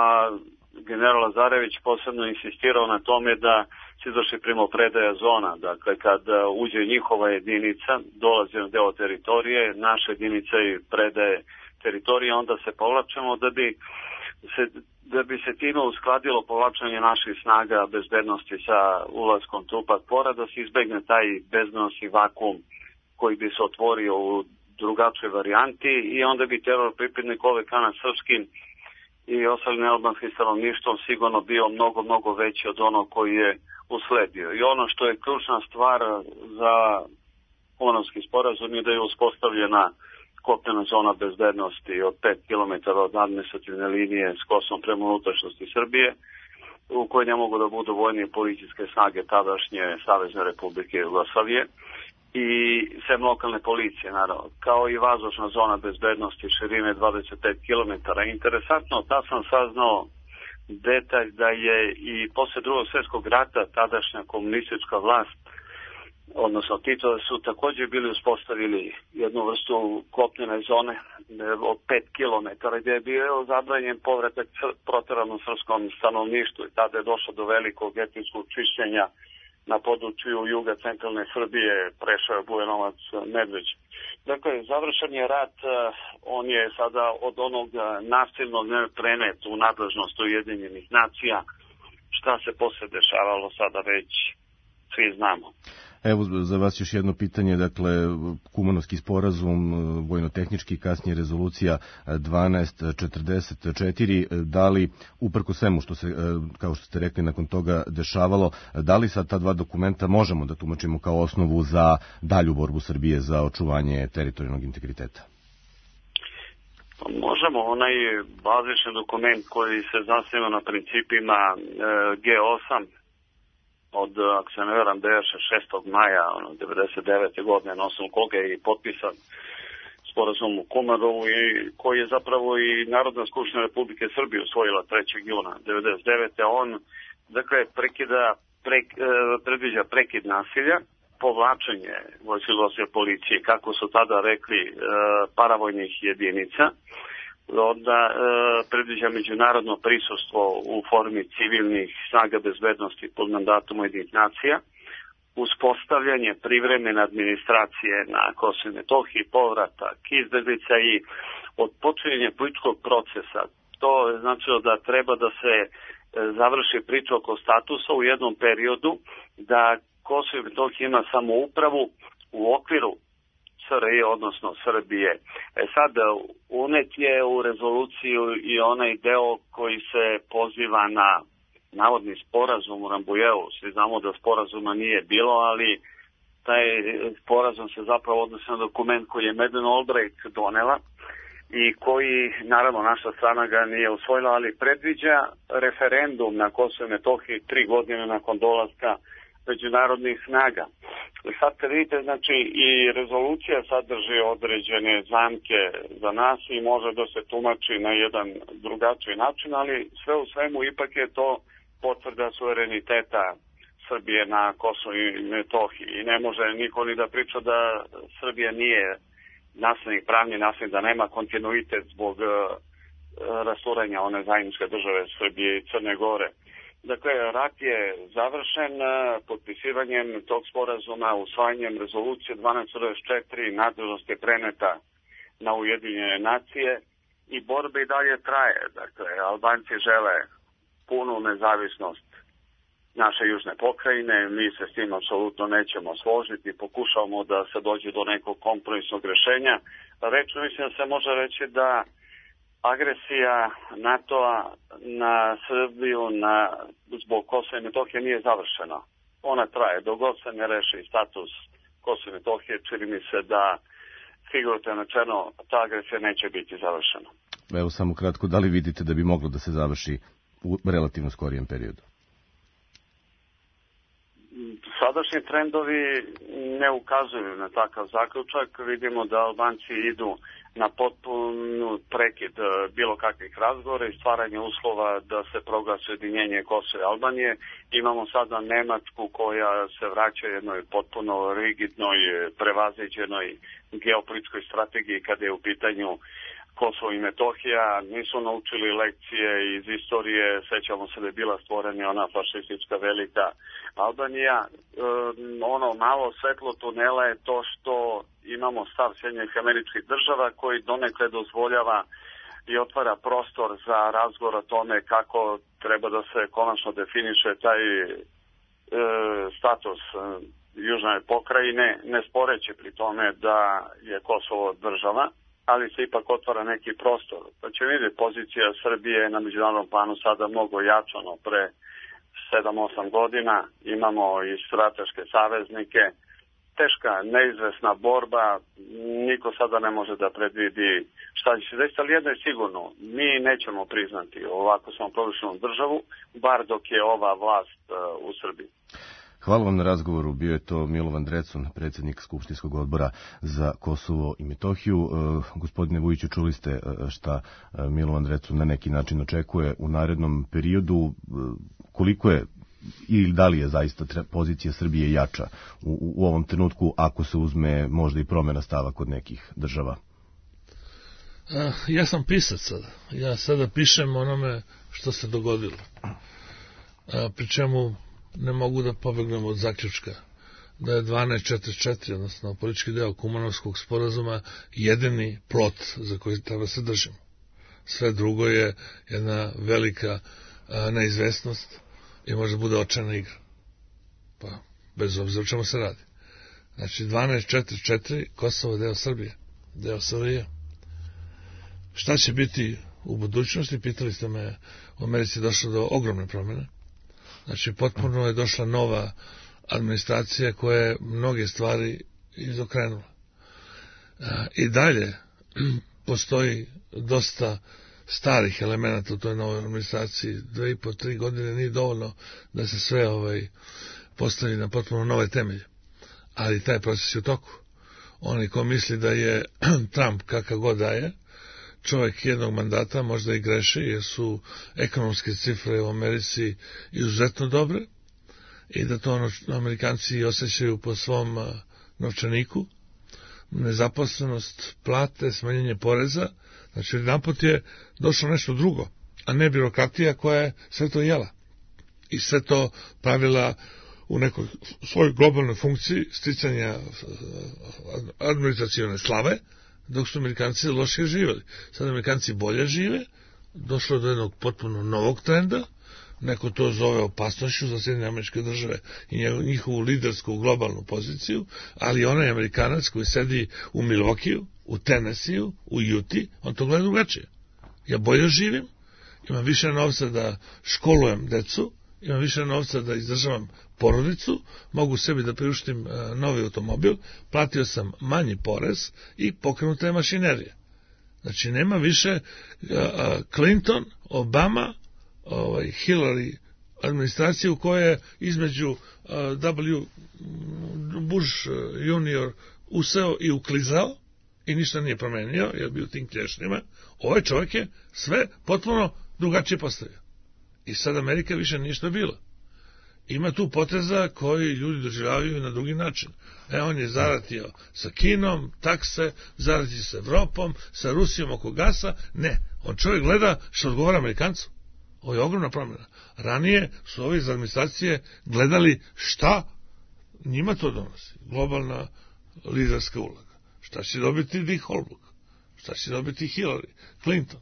general Lazarević posebno insistirao na tome da se izvrši primopredaja zona. Dakle, kad uđe njihova jedinica, dolazi na deo teritorije, naša jedinica i predaje teritorije, onda se povlačemo da bi se time uskladilo povlačenje naših snaga bezbednosti sa ulaskom trupa KFOR-a, da se izbegne taj bezbednosni vakuum koji bi se otvorio u drugačoj varijanti i onda bi teror pripadnik OVK nad srpskim i ostalim nealbanskim stanovništvom sigurno bio mnogo veći od onog koji je usledio. I ono što je ključna stvar za Kumanovski sporazum je da je uspostavljena kopnena zona bezbednosti od 5 km od administrativne linije s Kosovom prema unutrašnjosti Srbije, u kojoj ne mogu da budu vojne i policijske snage tadašnje Savezne Republike Jugoslavije i sem lokalne policije, naravno, kao i vazdušna zona bezbednosti širine 25 km. Interesantno, da sam saznao detalj da je i posle drugog svjetskog rata tadašnja komunistička vlast, odnosno Tito, su također bili uspostavili jednu vrstu kopnene zone od 5 km, gdje je bio zabranjen povratak proteranom srpskom stanovništvu i tada je došlo do velikog etničkog čišćenja na području juga centralne Srbije, Preševa, Bujanovac, Medveć. Dakle, završen je rat, on je sada od onog nasilnog prenet u nadležnost Ujedinjenih nacija. Šta se posle dešavalo sada već svi znamo. Evo za vas još jedno pitanje, dakle Kumanovski sporazum, vojno-tehnički, kasnije rezolucija 1244, da li uprko svemu što se, kao što ste rekli, nakon toga dešavalo, da li sad ta dva dokumenta možemo da tumačimo kao osnovu za dalju borbu Srbije za očuvanje teritorijalnog integriteta? Možemo, onaj bazični dokument koji se zasniva na principima G8 od, ako se ne veram, 6. maja 1999. godine, na osnovu koga je i potpisan sporazum u Kumarovu i koji je zapravo i Narodna skupština Republike Srbije usvojila 3. juna 1999. On, dakle, predviđa prekid nasilja, povlačenje vojske policije, kako su tada rekli, paravojnih jedinica, onda predviđa međunarodno prisustvo u formi civilnih snaga bezbednosti pod mandatom Ujedinjenih nacija, uspostavljanje privremene administracije na Kosovu i Metohiji, povratak izbeglica i odpočinjanje političkog procesa. To je značilo da treba da se završi priča oko statusa u jednom periodu, da Kosovo i Metohija ima samoupravu u okviru SRJ, odnosno Srbije. Sad, unet je u rezoluciju i onaj deo koji se poziva na navodni sporazum u Rambujeu. Svi znamo da sporazuma nije bilo, ali taj sporazum se zapravo odnosi na dokument koji je Madeleine Albright donela i koji, naravno, naša strana ga nije usvojila, ali predviđa referendum na Kosovo i Metohiji 3 godine nakon dolaska međunarodnih snaga. Sad kad vidite, znači, i rezolucija sadrži određene zamke za nas i može da se tumači na jedan drugačiji način, ali sve u svemu ipak je to potvrda suvereniteta Srbije na Kosovu i Metohiji. I ne može niko ni da priča da Srbija nije naslednik, pravni naslednik, da nema kontinuitet zbog rasturanja one zajedničke države Srbije i Crne Gore. Dakle, rat je završen potpisivanjem tog sporazuma, usvajanjem rezolucije 1244, nadležnost je preneta na Ujedinjene nacije i borba i dalje traje. Dakle, Albanci žele punu nezavisnost naše južne pokrajine, mi se s tim apsolutno nećemo složiti, pokušavamo da se dođe do nekog kompromisnog rešenja. Rečno mislim da se može reći da agresija NATO-a na Srbiju zbog Kosova i Metohije nije završena. Ona traje. Dok god se ne reši status Kosova i Metohije, čini mi se da figurativno rečeno ta agresija neće biti završena. Evo samo kratko, da li vidite da bi moglo da se završi u relativno skorijem periodu? Sadašnji trendovi ne ukazuju na takav zaključak. Vidimo da Albanci idu na potpunu prekid bilo kakvih razgovora i stvaranje uslova da se proglasi ujedinjenje Kosova i Albanije. Imamo sada Nemačku koja se vraća jednoj potpuno rigidnoj, prevaziđenoj geopolitičkoj strategiji kada je u pitanju Kosovo i Metohija. Nisu naučili lekcije iz istorije, sećamo se da je bila stvorena ona fašistička velika Albanija. Ono malo svetlo tunela je to što imamo stav Sjedinjenih Američkih Država koji donekle dozvoljava i otvara prostor za razgovor o tome kako treba da se konačno definiše taj status južne pokrajine, ne sporeći pri tome da je Kosovo država, ali se ipak otvara neki prostor. Pa će vidjeti, pozicija Srbije na međunarodnom planu sada mnogo jačano pre 7-8 godina. Imamo i strateške saveznike. Teška, neizvesna borba. Niko sada ne može da predvidi šta će se desiti, ali jedno je sigurno. Mi nećemo priznati ovako samoproglašenu državu, bar dok je ova vlast u Srbiji. Hvala vam na razgovoru. Bio je to Milovan Drecun, predsjednik Skupštinskog odbora za Kosovo i Metohiju. Gospodine Vujiću, čuli ste šta Milovan Drecun na neki način očekuje u narednom periodu. Koliko je ili da li je zaista pozicija Srbije jača u ovom trenutku ako se uzme možda i promjena stava kod nekih država? Ja sam pisac sada. Ja sada pišem onome što se dogodilo. Pri čemu ne mogu da pobegnem od zaključka da je 1244, odnosno politički deo Kumanovskog sporazuma, jedini plot za koji treba se držimo. Sve drugo je jedna velika neizvesnost i može bude očajna igra. Pa, bez obzira o čemu se radi. Znači, 1244, Kosovo je deo Srbije, deo SRJ. Šta će biti u budućnosti? Pitali ste me, u Americi je došlo do ogromne promjene. Znači, potpuno je došla nova administracija koja je mnoge stvari izokrenula. I dalje postoji dosta starih elemenata u toj novoj administraciji. 2,5-3 godine nije dovoljno da se sve postavi na potpuno nove temelje. Ali taj proces je u toku. Oni ko misli da je Trump kakav god da je, čovjek jednog mandata, možda i greši, jer su ekonomske cifre u Americi izuzetno dobre i da to Amerikanci osjećaju po svom novčaniku, nezaposlenost, plate, smanjenje poreza. Znači, napot je došlo nešto drugo, a ne birokratija koja je sve to jela i sve to pravila u nekoj svojoj globalnoj funkciji sticanja administracione slave, dok su Amerikanci lošije živjeli. Sad Amerikanci bolje žive, došlo je do jednog potpuno novog trenda, neko to zove opasnošću za Sjedinjene Američke Države i njihovu lidersku globalnu poziciju, ali onaj Amerikanac koji sedi u Milwaukeeu, u Tennesseeu, u Uti, on to gleda drugačije. Ja bolje živim, imam više novca da školujem decu, imam više novca da izdržavam porodicu, mogu sebi da priuštim novi automobil, platio sam manji porez i pokrenuta je mašinerija. Znači, nema više Clinton, Obama, Hillary administraciju koja je između W. Bush junior useo i uklizao i ništa nije promenio, jer bi u tim klješnjima. Ovaj čovjek je sve potpuno drugačije postavio. I sad Amerika više nije što bila. Ima tu poteza koji ljudi doživljavaju na drugi način. On je zaratio sa Kinom, takse, zaratio sa Evropom, sa Rusijom oko gasa. Ne, on čovjek gleda što odgovara Amerikancu. Ovo je ogromna promjena. Ranije su ovi iz administracije gledali šta njima to donosi. Globalna liderska uloga. Šta će dobiti Dick Holbrooke? Šta će dobiti Hillary Clinton?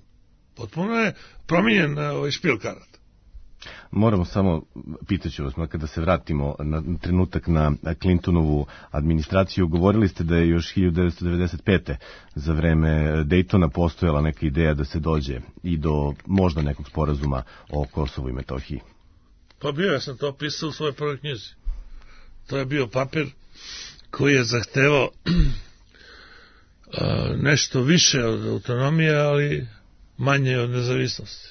Potpuno je promijenjen špil karat. Moramo samo, pitaću vas, kada se vratimo na trenutak na Clintonovu administraciju, govorili ste da je još 1995. za vreme Daytona postojala neka ideja da se dođe i do možda nekog sporazuma o Kosovu i Metohiji. Pa bio, ja sam to opisao u svojoj prvoj knjizi. To je bio papir koji je zahtevao nešto više od autonomije, ali manje od nezavisnosti.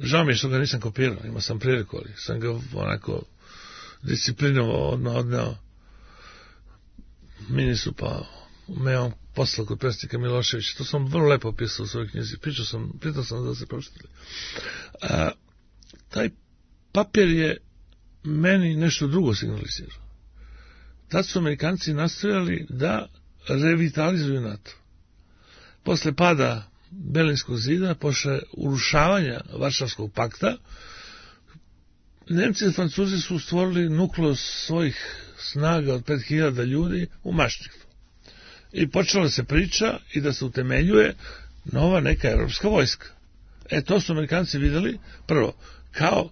Žao mi je što ga nisam kopirao, imao sam priliku, ali sam ga onako disciplinovao odneo ministru, pa me on poslao kod predsjednika Miloševića. To sam vrlo lepo opisao u svojoj knjizi. Pitao sam da se pročitali. Taj papir je meni nešto drugo signalizirao. Tad su Amerikanci nastojali da revitalizuju NATO. Posle pada Berlinskog zida, posle urušavanja Varšavskog pakta, Nemci i Francuzi su stvorili nukleus svojih snaga od 5000 ljudi u Maštrihtu. I počela se priča i da se utemeljuje nova neka evropska vojska. To su Amerikanci videli, prvo, kao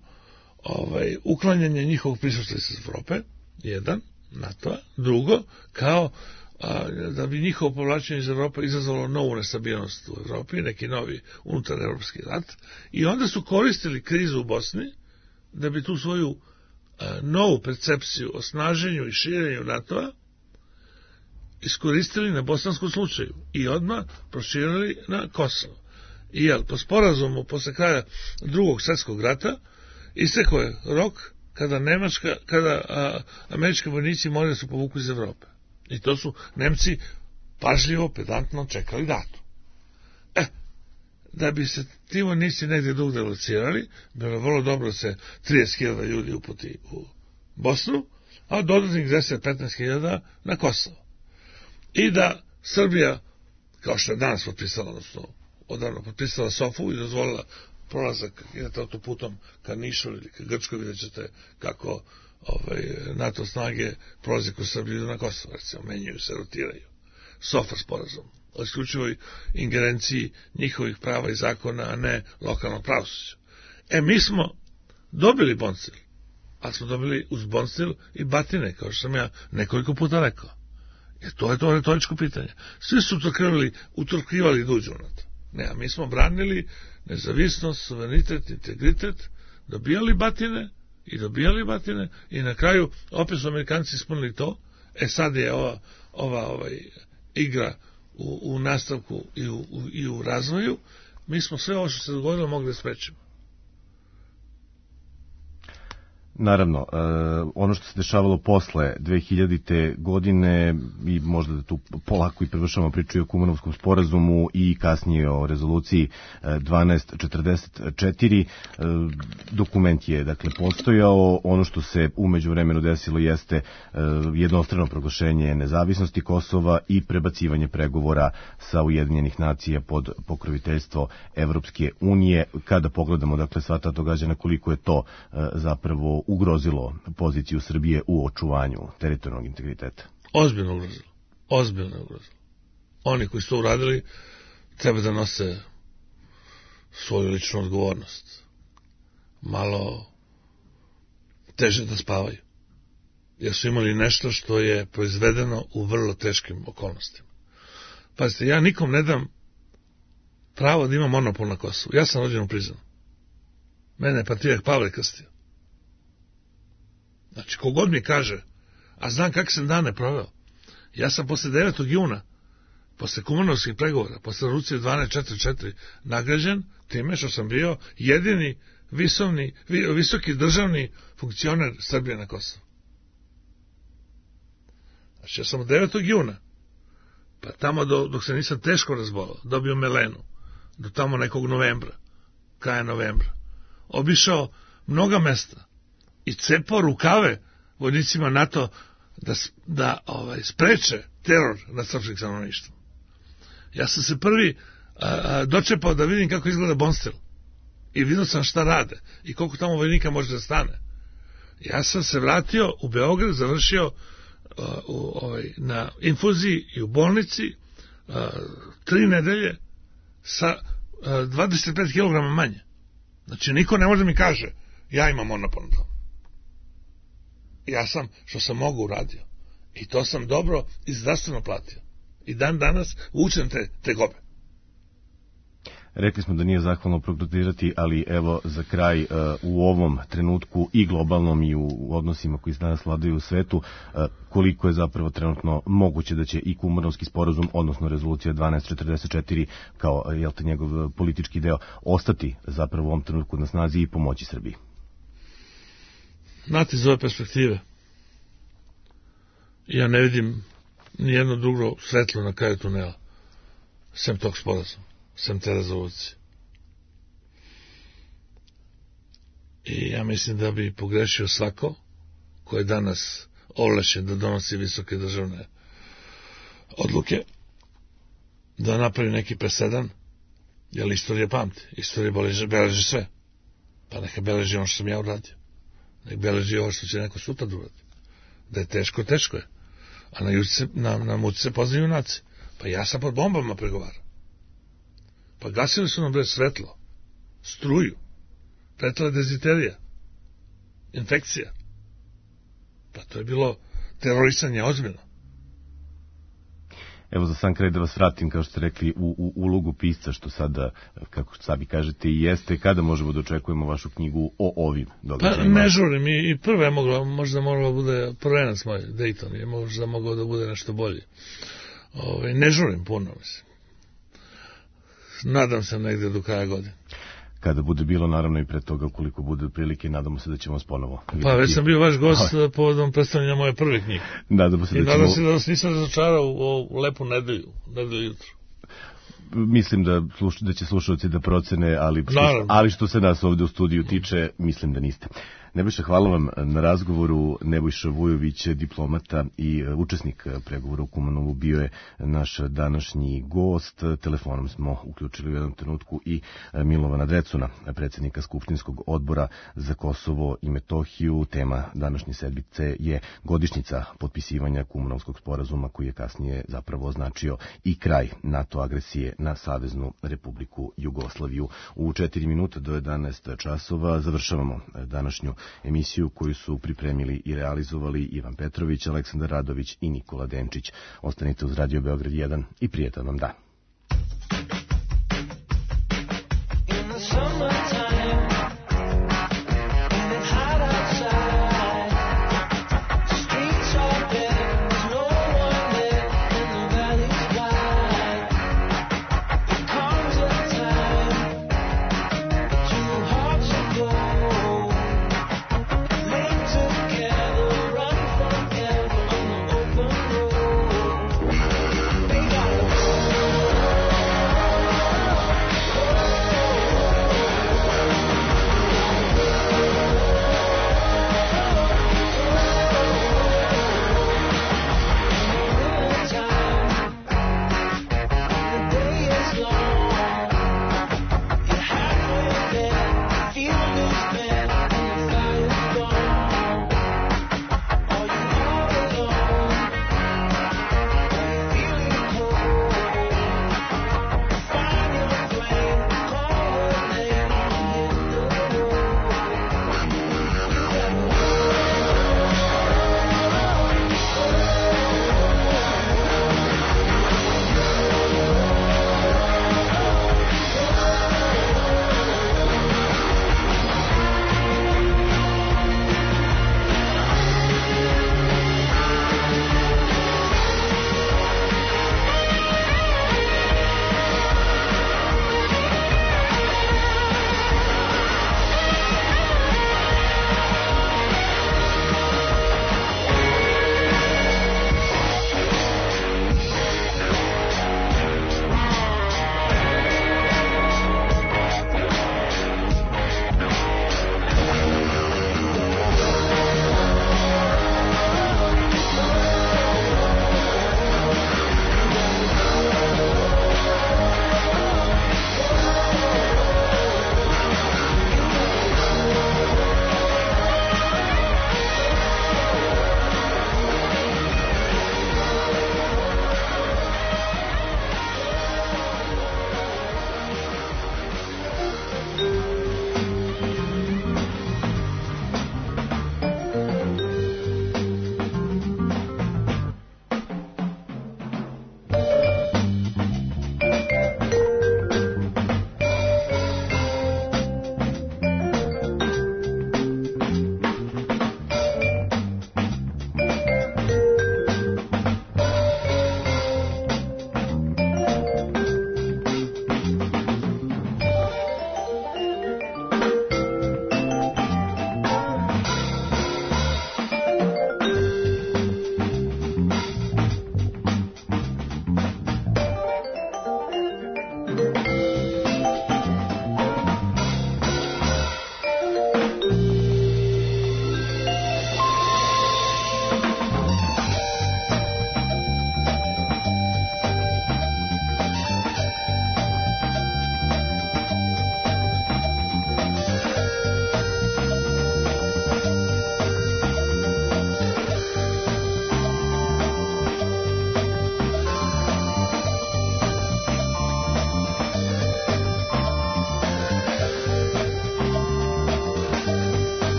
uklanjanje njihovog prisustva iz Evrope, jedan, NATO-a, drugo, kao da bi njihovo povlačenje iz Evrope izazvalo novu nestabilnost u Evropi, neki novi unutarevropski rat, i onda su koristili krizu u Bosni da bi tu svoju novu percepciju o snaženju i širenju NATO-a iskoristili na bosanskom slučaju i odmah proširili na Kosovo. I po sporazumu posle kraja Drugog svjetskog rata istekao je rok kada američki vojnici moraju da se povuku iz Evrope. I to su Nemci pažljivo, pedantno čekali datum. Da bi se ti vojnici negdje drugdje locirali, bilo je vrlo dobro da se 30.000 ljudi uputi u Bosnu, a dodatnih 10-15.000 na Kosovo. I da Srbija, kao što je danas potpisala, odnosno odavno potpisala SOFA-u i dozvolila prolazak, idete autoputom ka Nišu ili ka Grčkoj, vidjet ćete kako NATO snage prolaze kroz Srbiju na Kosovo, recimo, menjaju se, rotiraju. SOFA sporazum o isključivoj ingerenciji njihovih prava i zakona, a ne lokalnog pravosuđa. Mi smo dobili Bonstil, ali smo dobili uz Bonstil i batine, kao što sam ja nekoliko puta rekao. Jer to je to retoričko pitanje. Svi su utrkivali da uđu na to. Ne, a mi smo branili nezavisnost, suverenitet, integritet, dobijali batine i na kraju opet su Amerikanci ispunili to. Sad je ova igra u nastavku i u razvoju, mi smo sve ovo što se dogodilo mogli da sprečimo. Naravno, ono što se dešavalo posle 2000. godine i možda da tu polako i prevršamo priču o Kumanovskom sporazumu i kasnije o rezoluciji 1244. Dokument je dakle postojao. Ono što se umeđu vremenu desilo jeste jednostrano proglašenje nezavisnosti Kosova i prebacivanje pregovora sa Ujedinjenih nacija pod pokroviteljstvo Evropske unije. Kada pogledamo dakle sva ta događanja, koliko je to zapravo ugrozilo poziciju Srbije u očuvanju teritorijalnog integriteta? Ozbiljno ugrozilo. Oni koji su to uradili treba da nose svoju ličnu odgovornost. Malo teže da spavaju. Jer su imali nešto što je proizvedeno u vrlo teškim okolnostima. Pazite, ja nikom ne dam pravo da ima monopol na Kosovu. Ja sam rođen u Prizrenu. Mene je Patrijak Pavle krstio. Znači, kogod mi kaže, a znam kakve sam dane proveo, ja sam posle 9. juna, posle Kumanovskih pregovora, posle rezolucije 1244 nagrađen time što sam bio jedini visoki državni funkcioner Srbije na Kosovu. Znači, ja sam od 9. juna, pa tamo dok se nisam teško razbolao, dobio melenu, do tamo nekog novembra, kraja novembra, obišao mnoga mesta i cepao rukave vojnicima NATO da spreče teror nad srpskim stanovništvom. Ja sam se prvi dočepao da vidim kako izgleda Bonstel i vidio sam šta rade i koliko tamo vojnika može da stane. Ja sam se vratio u Beograd, završio na infuziji i u bolnici 3 nedelje sa 25 kg manje. Znači, niko ne može da mi kaže ja imam monopol na to. Ja sam, što sam mogu, uradio. I to sam dobro i zdravstveno platio. I dan danas učem te gobe. Rekli smo da nije zahvalno prognotirati, ali evo za kraj u ovom trenutku i globalnom i u odnosima koji se danas vladaju u svetu, koliko je zapravo trenutno moguće da će i Kumanovski sporazum, odnosno rezolucija 1244 kao njegov politički deo ostati zapravo u ovom trenutku na snazi i pomoći Srbiji? Znate, iz ove perspektive ja ne vidim nijedno drugo svetlo na kraju tunela sem tog sporazuma, sem te rezolucije. I ja mislim da bi pogrešio svako ko je danas ovlašćen da donosi visoke državne odluke, da napravi neki presedan, jer istorija pamti, istorija beleži sve. Pa neka beleži ono što sam ja uradio. Nek beleži ovo što će neko sutra uraditi. Da je teško, teško je. A na muci se poznaju junaci. Pa ja sam pod bombama pregovarao. Pa gasili su nam svetlo, struju, pretila deziterija, infekcija. Pa to je bilo terorisanje ozbiljno. Evo za sam kraj da vas vratim, kao što ste rekli, u ulogu pisca, što sada, kako sami kažete, i jeste. Kada možemo da očekujemo vašu knjigu o ovim događajima? Pa ne žurim, i prva je možda mogla bude prvenac moj, Dayton, je možda mogao da bude nešto bolje. Ne žurim puno, mislim. Nadam se negde do kraja godine. Kada bude bilo, naravno i pre toga, ukoliko bude prilike, nadamo se da ćemo vas ponovo vidjeti. Pa već sam bio vaš gost povodom predstavljanja moje prve knjige. Nadamo se da ćemo... I nadam se da vas nisam razočarao u lepu nedelju jutro. Mislim da će slušalci da procene, ali što se nas ovde u studiju tiče, mislim da niste. Nebojša, hvala vam na razgovoru. Nebojša Vujović, diplomata i učesnik pregovora u Kumanovu, bio je naš današnji gost. Telefonom smo uključili u jednom trenutku i Milovana Drecuna, predsjednika Skupštinskog odbora za Kosovo i Metohiju. Tema današnje sedmice je godišnjica potpisivanja Kumanovskog sporazuma, koji je kasnije zapravo označio i kraj NATO agresije na Saveznu Republiku Jugoslaviju. U 4 minuta do 11 časova završavamo današnju emisiju koju su pripremili i realizovali Ivan Petrović, Aleksandar Radović i Nikola Denčić. Ostanite uz Radio Beograd 1 i prijetan vam dan.